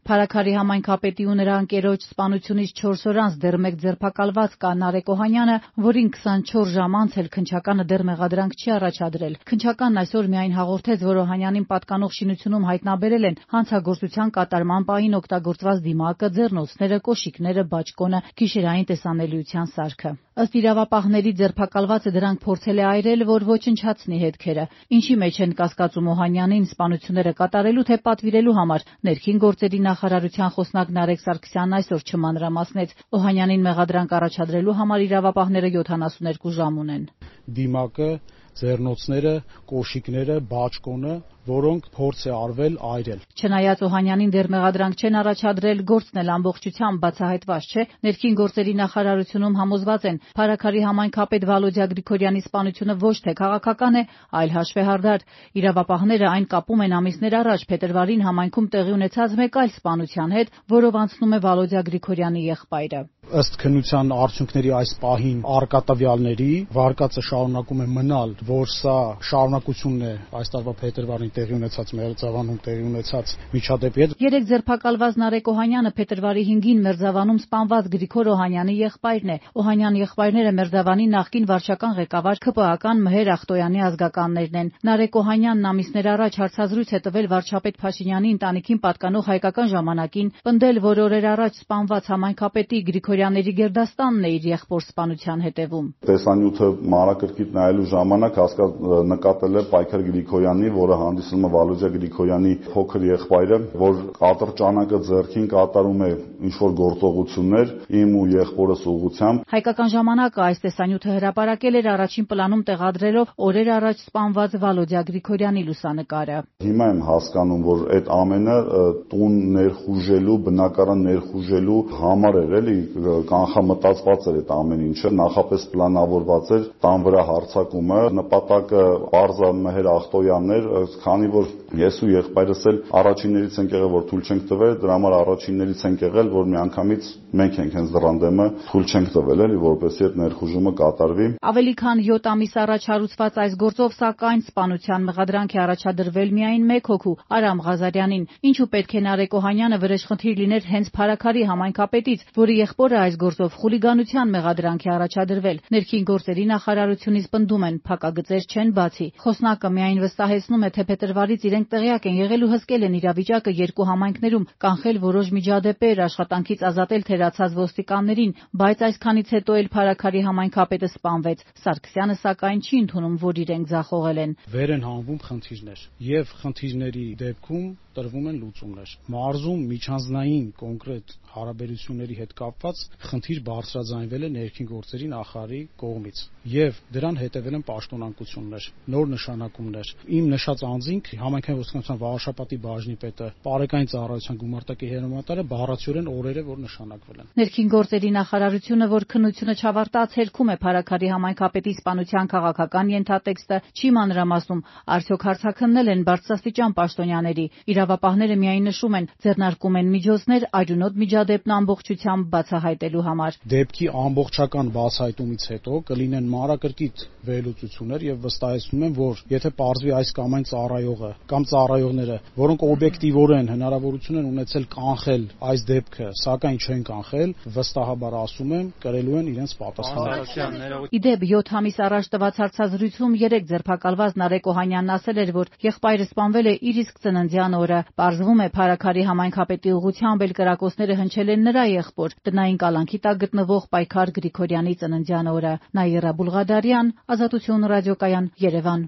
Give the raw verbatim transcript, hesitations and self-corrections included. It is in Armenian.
Փարաքարի համայնքապետի ու նրա ընկերոջ սպանությունից չորս օր անց դեռ մեկ ձերբակալված կա Նարեկ Օհանյանը, որին քսանչորս ժամ անց էլ քննչականը դեռ մեղադրանք չի առաջադրել։ Քննչականն այսօր միայն հաղորդեց, որ Օհանյանին պատկանող շինությունում հայտնաբերել են հանցագործության կատարման պահին օգտագործված դիմակը, ձեռնոցները, կոշիկները, բաճկոնը, գիշերային տեսանելիության սարքը։ Ըստ իրավապահների, ձերբակալվածը դրանք փորձել է այրել, որ ոչնչացնի հետքերը։ Ինչի մեջ են կասկածում Օհանյանին սպանությունները կատարելու թե պատվիրելու համար, ներքին գործերի նախարարության խոսնակ Նարեկ Սարգսյանն այսօր չմանրամասնեց։ Օհանյանին մեղադրանք առաջադրելու համար իրավապահները յոթանասունեքու ժամ ունեն։ Դիմակը, ձեռնոցները, կոշիկները, բաճկոնը, որոնք փորձ է արվել այրել։ Չնայած Օհանյանին դեռ մեղադրանք չեն առաջադրել, գործն էլ ամբողջությամբ բացահայտված չէ, ներքին գործերի նախարարությունում համոզված են, Փարաքարի համայնքապետ Վալոդյա Գրիգորյանի սպանությունը ոչ թե քաղաքական է, այլ հաշվեհարդար։ Իրավապահները այն կապում են ամիսներ առաջ փետրվարին համայնքում տեղի ունեցած մեկ այլ սպանության հետ, որով անցնում է Վալոդյա Գրիգորյանի եղբայրը։ Ըստ քննության արդյունքների այս պահին առկա տվյալների վարկածը շարունակում է մնալ, որ սա շարունակությունն է այս տարվա փետրվարին տեղի ունեցած Մերձավանում տեղի ունեցած միջադեպի հետ։ Երեք ձերբակալված Նարեկ Օհանյանը փետրվարի հինգին Մերձավանում սպանված Գրիգոր Օհանյանի եղբայրն է։ Օհանյան եղբայրները Մերձավանի նախկին վարչական ղեկավար ՔՊԱ-ական Մհեր Ախտոյանի ազգականներն են։ Նարեկ Օհանյանն ամիսներ առաջ հարցազրույց է տվել վարչապետ Փաշինյանի ընտանիքին պատկանող Հայկական ժամանակին, պնդել, որ օրեր առաջ սպանված համայնքապետի Գրիգորյանների գերդաստանն է իր եղբոր սպանության հետևում։ Տեսանյութը մանրակրկիտ նայելու ժամանակ նկատել է Պայքար Գրիգորյանի, որը հանդիսանում է Վալոդյա Գրիգորյանի փոքր եղբայրը, որ ատրճանակը ձեռքին կատարում է ինչ-որ գործողություններ իմ ու եղբորս ուղղությամբ։ Հայկական ժամանակը այս տեսանյութը հրապարակել էր առաջին պլանում տեղադրելով օրեր առաջ սպանված Վալոդյա Գրիգորյանի լուսանկարը։ Հիմա եմ հասկանում, որ այդ ամենը տուն ներխուժելու, բնակարան ներխուժելու համար էր, էլի կանխամտածված էր այդ ամեն ինչը, նախապես պլանավորված էր տան վրա հարձակումը, նպատակը պարզ Մհեր Ախտոյանն էր, քանի որ ես ու եղբայրս էլ առաջիններից ենք եղել, որ թույլ չենք տվել, դրա համար առաջիններից ենք եղել, որ միանգամից մենք ենք հենց դրան դեմը թույլ չենք տվել, էլի, որպեսզի այդ ներխուժումը կատարվի։ Ավելի քան յոթ ամիս առաջ հարուցված այս գործով, սակայն սպանության մեղադրանք է առաջադրվել միայն մեկ հոգու՝ Արամ Ղազարյանին։ Ինչու պետք է Նարեկ Օհանյանը վրեժխնդիր լիներ հենց Փարաքարի համայնքապետից, որի եղբորը այս գործով խուլիգանության մեղադրանք է առաջադրվել։ Ներքին գործերի նախարարությունից պնդում են, փակագծեր չեն բացի։ Խոսնակը միայն վստահեցնում է, թե փետրվարից իրենք տեղյակ են եղել ու հսկել են իրավիճակը երկու համայնքներում, կանխել որոշ միջադեպեր, աշխատանքից ազատել թերացած ոստիկաններին, բայց այսքանից հետո էլ Փարաքարի համայնքապետը սպանվեց։ Սարգսյանը սակայն չի ընդունում, որ իրենք ձախողել են։ Վեր են հանվում խնդիրներ, եւ խնդիրների դեպքում տրվում են լուծումներ։ Մարզում միջանձնային կոնկրետ հարաբերությունների հետ կապված խնդիր բարձրաձայնվել է ներքին գործերի նախարարի կողմից եւ դրան հետեւել են պաշտոնանկություններ, նոր նշանակումներ։ Իմ նշած անձինք համայնքային ոստիկանության Վարաշապատի բաժնի պետը, Պարեկային ծառայության գումարտակի հերոմատարը բառացիորեն օրեր է որ նշանակվել են։ Ներքին գործերի նախարարությունը, որ քննությունը չավարտած հերքում է Փարաքարի համայնքապետի սպանության քաղաքական ենթատեքստը, չի մանրամասնում, արդյոք հարցաքննել են բարձրաստիճան պաշտոնյաների։ Իրավապահները միայն նշում են, ձեռնարկում են միջոցներ արյունոտ միջադեպն ամբողջությամբ բացահայտելու համար։ Դեպքի ամբողջական բացահայտումից հետո կլինեն մանրակրկիտ վերլուծություններ եւ վստահեցնում եմ, որ եթե պարզվի այս կամ այն ծառայողը կամ ծառայողները, որոնք օբյեկտիվորեն հնարավորություն են ունեցել կանխել այս դեպքը, սակայն չեն կանխել, վստահաբար ասում եմ, կրելու են իրենց պատասխանը։ Իդեպ յոթ ամիս առաջ տված հարցազրույցում երեք ձերբակալված Նարեկ Օհանյանն ասել էր, որ եղբայրը սպանվել է իր իսկ ծննդյան օրը։ Պարզվում է, Փարաքարի համայնքապետի ուղղությամբ էլ կրակոցները հնչել են նրա եղբոր, տնային կալանքի տակ գտնվող Պայքար Գրիգորյանի ծննդյան օրը։ Նաիրա Բուլղադարյան, Ազատություն ռադիոկայան, Երևան։